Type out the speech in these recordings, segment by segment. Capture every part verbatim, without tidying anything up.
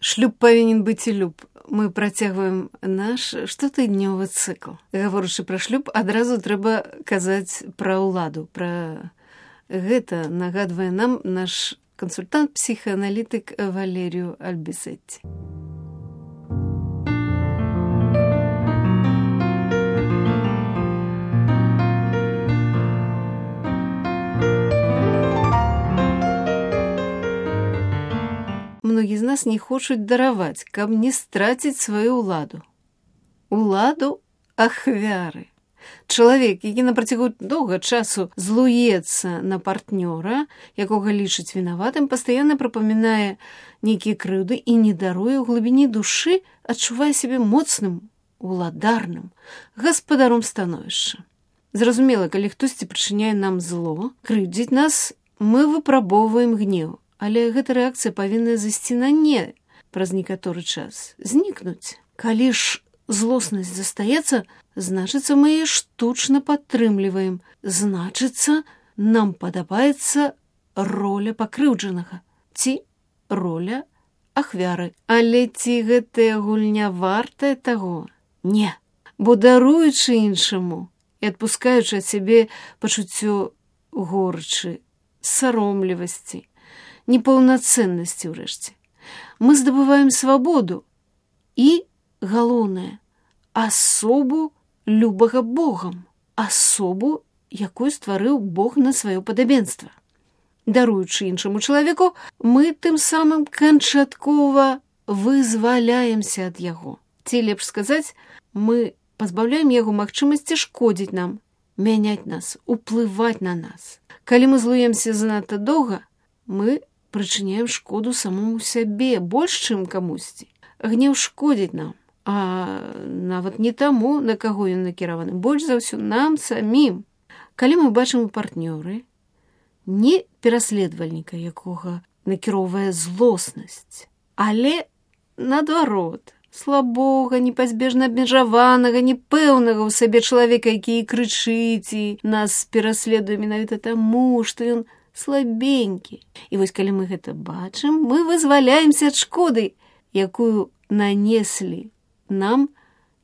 Шлюб павінен быць і люб. Мы працягваем наш штотыднёвы цыкл. Гаворачы пра шлюб, адразу трэба казаць пра ўладу. Пра гэта нагадвае нам наш кансультант-псіхааналітык Валерію Альбісетці. Многі з нас не хочуць дараваць, каб не страціць сваю ўладу. Уладу ахвяры. Чалавек, які на працягу доўга часу злуецца на партнёра, якога лічыць вінаватым, пастаянна прапамінае нейкія крыўды і не даруе ў глыбіні душы, адчувае сябе моцным, уладарным, гаспадаром становішча. Зразумела, калі хтосьці прычыняе нам зло, крыўдзіць нас, мы выпрабоўваем гнеў. Але гэта рэакцыя павінна зайсці на не праз некаторы час, знікнуць. Калі ж злоснасць застаецца, значыцца, мы яе штучна падтрымліваем. Значыцца, нам падабаецца роля пакрыўджанага ці роля ахвяры. Але ці гэтая гульня вартая таго? Не. Бо даруючы іншаму і адпускаючы ад сябе пачуццё горчы, саромлівасці, непаўнацэннасці ўрэшце. Мы здабываем свабоду і, галоўнае, асобу любага Богам, асобу, якую стварыў Бог на сваё падабенства. Даруючы іншаму чалавеку, мы тым самым канчаткова вызваляемся ад яго. Ці лепш сказаць, мы пазбаўляем яго магчымасці шкодзіць нам, мяняць нас, уплываць на нас. Калі мы злуемся занадта доўга, мы прычыняем шкоду самому сябе, больш, чым камусьці. Гнеў шкодзіць нам, а нават не таму, на каго ён накіраваны, больш за ўсё нам самім. Калі мы бачым у партнёры не пераследавальніка, якога накіроўвае злоснасць, але, наадварот, слабога, непазбежна абмежаванага, непэўнага ў сабе чалавека, які і крычыць, і нас пераследуе менавіта таму, што ён слабенькі. І вось калі мы гэта бачым, мы вызваляемся ад шкоды, якую нанеслі нам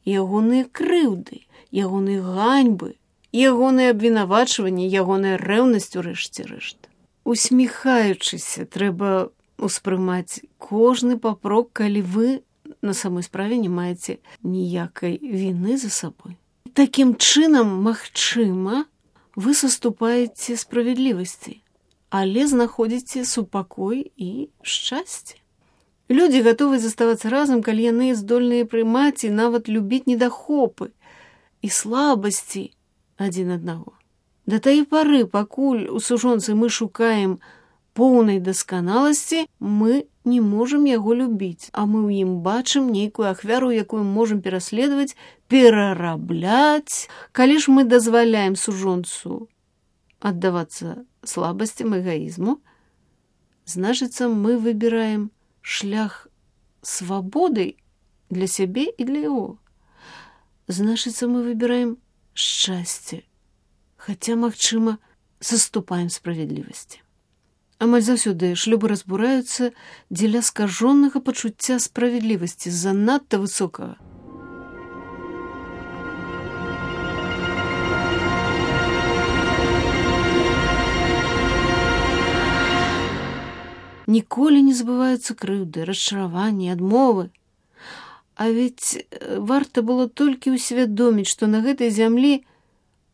ягоныя крыўды, ягоныя ганьбы, ягоныя абвінавачванні, ягоная рэўнасць у рэшце рэшт. Усміхаючыся, трэба ўспрымаць кожны папрок, калі вы на самой справе не маеце ніякай віны за сабой. Такім чынам, магчыма, вы саступаеце справядлівасці, але знаходзіце супакой і шчасце. Людзі гатовы заставацца разам, калі яны здольныя прымаць і нават любіць недахопы і слабасці адзін аднаго. Да тае пары, пакуль у сужонцы мы шукаем поўнай дасканаласці, мы не можам яго любіць, а мы ў ім бачым нейкую ахвяру, якую можам пераследаваць, перарабляць. Калі ж мы дазваляем сужонцу аддавацца слабасцям, эгоізму, значыцца, мы выбіраем шлях свабоды для сябе і для яго. Значыцца, мы выбіраем шчасце, хаця, магчыма, саступаем справядлівасці. Амаль заўсёды шлюбы разбураюцца дзеля скажонага пачуцця справядлівасці, занадта высокага. Ніколі не забываюцца крыўды, расчараванні, адмовы. А ведь варта было толькі ўсвядоміць, што на гэтай зямлі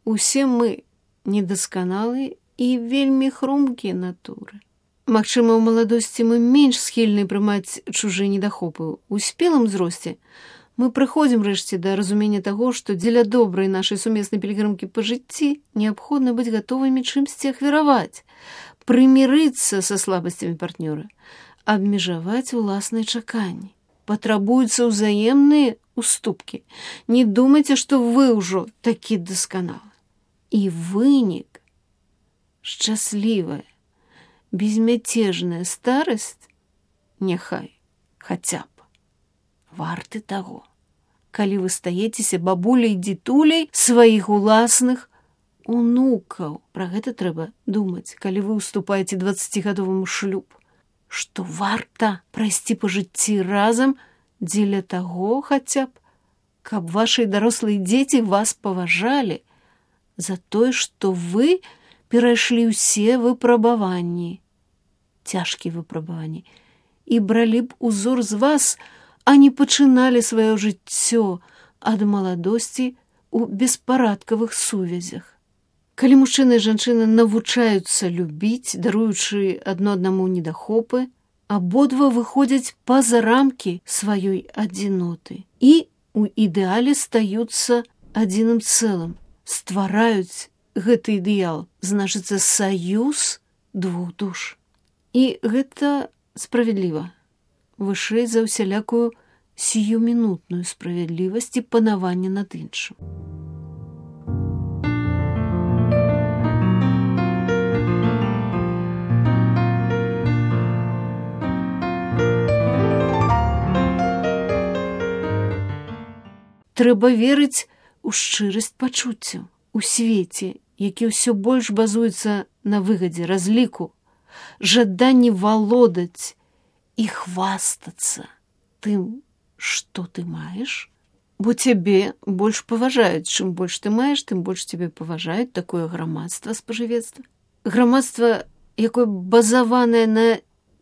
усе мы недасканалыя і вельмі хрумкія натуры. Магчыма, ў маладосці мы менш схільны прымаць чужыя недахопы. У спелым узросце мы прыходзім рэшце да разумення таго, што дзеля добрай нашай сумеснай пілігрымкі па жыцці неабходна быць гатовымі чымсьці ахвяраваць, прымірыцца са слабасцямі партнёра, абмежаваць уласныя чаканні. Патрабуюцца ўзаемныя уступкі. Не думайце, што вы ўжо такі дасканалы. І вынік, шчаслівая, безмятежная старасць, няхай, хаця б, варты таго. Калі вы стаецеся бабуляй-дзітуляй сваіх уласных унукаў. Пра гэта трэба думаць, калі вы ўступаеце дваццацігадовым шлюб. што варта прайсці па жыцці разам дзеля таго хаця б, каб вашы дарослыя дзеці вас паважалі за тое, што вы перайшлі ўсе выпрабаванні, цяжкія выпрабаванні, і бралі б узор з вас, а не пачыналі сваё жыццё ад маладосці ў беспарадкавых сувязях. Калі мужчына і жанчына навучаюцца любіць, даруючы адно аднаму недахопы, абодва выходзяць па-за рамкі сваёй адзіноты і у ідэале стаюцца адзіным цэлым, ствараюць гэты ідэал, значыцца саюз двух душ. І гэта справядліва, вышэй за ўсялякую сіюмінутную справядлівасць і панаванне над іншым. Трэба верыць у шчырасць пачуццяў, у свеце, які ўсё больш базуецца на выгадзе, разліку, жаданні валодаць і хвастацца тым, што ты маеш, бо цябе больш паважаюць. Чым больш ты маеш, тым больш цябе паважаюць. Такое грамадства спажывецтва. Грамадства, якое базаванае на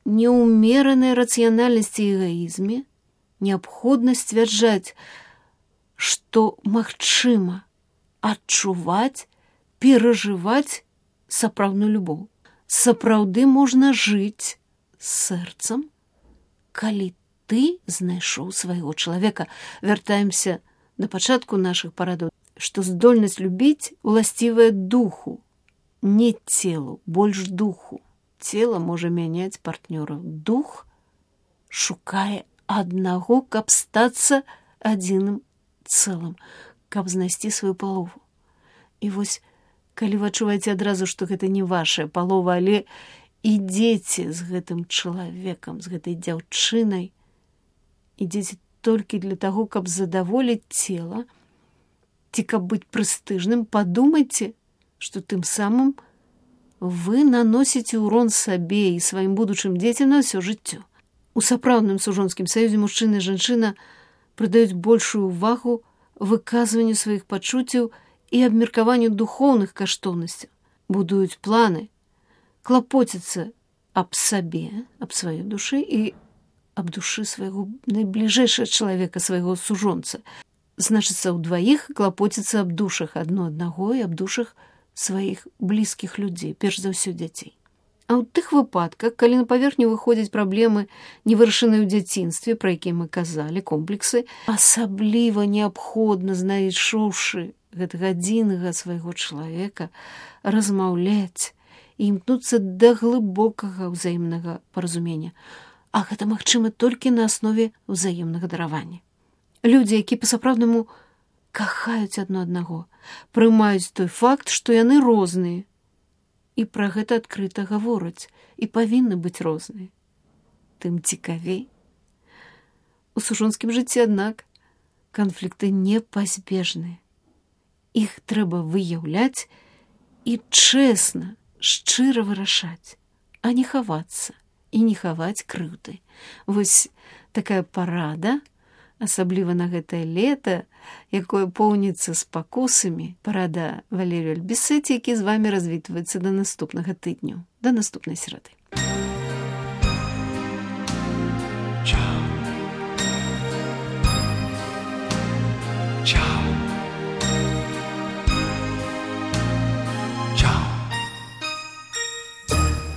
неўмеранай рацыянальнасці і эгаізме, неабходна сцвярджаць, што магчыма адчуваць, перажываць сапраўдную любоў. Сапраўды можна жыць сэрцам, калі ты знайшоў свайго чалавека. Вяртаемся да пачатку нашых парадаў, што здольнасць любіць уласцівая духу, не целу, больш духу. Цела можа мяняць партнёраў. Дух шукае аднаго, каб стацца адзіным цэлым, каб знайсці сваю палову. І вось, калі вы адчуваеце адразу, што гэта не вашая палова, але ідзеце з гэтым чалавекам, з гэтай дзяўчынай, ідзеце толькі для таго, каб задаволіць цела, ці каб быць прэстыжным, падумайце, што тым самым вы наносіце ўрон сабе і сваім будучым дзецям на ўсё жыццё. У сапраўдным сужонскім саюзе мужчына і жанчына прыдаюць большую ўвагу выказванню сваіх пачуццяў і абмеркаванню духоўных каштоўнасцяў, будуюць планы, клапоціцца аб сабе, аб сваёй душы і аб душы свайго найбліжэйшага чалавека, свайго сужонца. Значыцца, ўдваіх клапоціцца аб душах адно аднаго і аб душах сваіх блізкіх людзей, перш за ўсё дзяцей. А ў тых выпадках, калі на паверхню выходзяць праблемы, невырашаныя ў дзяцінстве, пра якія мы казалі, комплексы, асабліва неабходна, знайшоўшы гэтага адзінага свайго чалавека, размаўляць і імкнуцца да глыбокага ўзаемнага паразумення. А гэта магчыма толькі на аснове ўзаемнага даравання. Людзі, які па-сапраўднаму кахаюць адно аднаго, прымаюць той факт, што яны розныя, і пра гэта адкрыта гавораць, і павінны быць розныя. Тым цікавей. У сужонскім жыцці, аднак, канфлікты непазбежныя. Іх трэба выяўляць і чэсна, шчыра вырашаць, а не хавацца і не хаваць крыўды. Вось такая парада, асабліва на гэтае лета, якое поўніцца спакусамі, парада Валерію Альбісеці, які з вамі развітваецца да наступнага тыдню, да наступнай серады.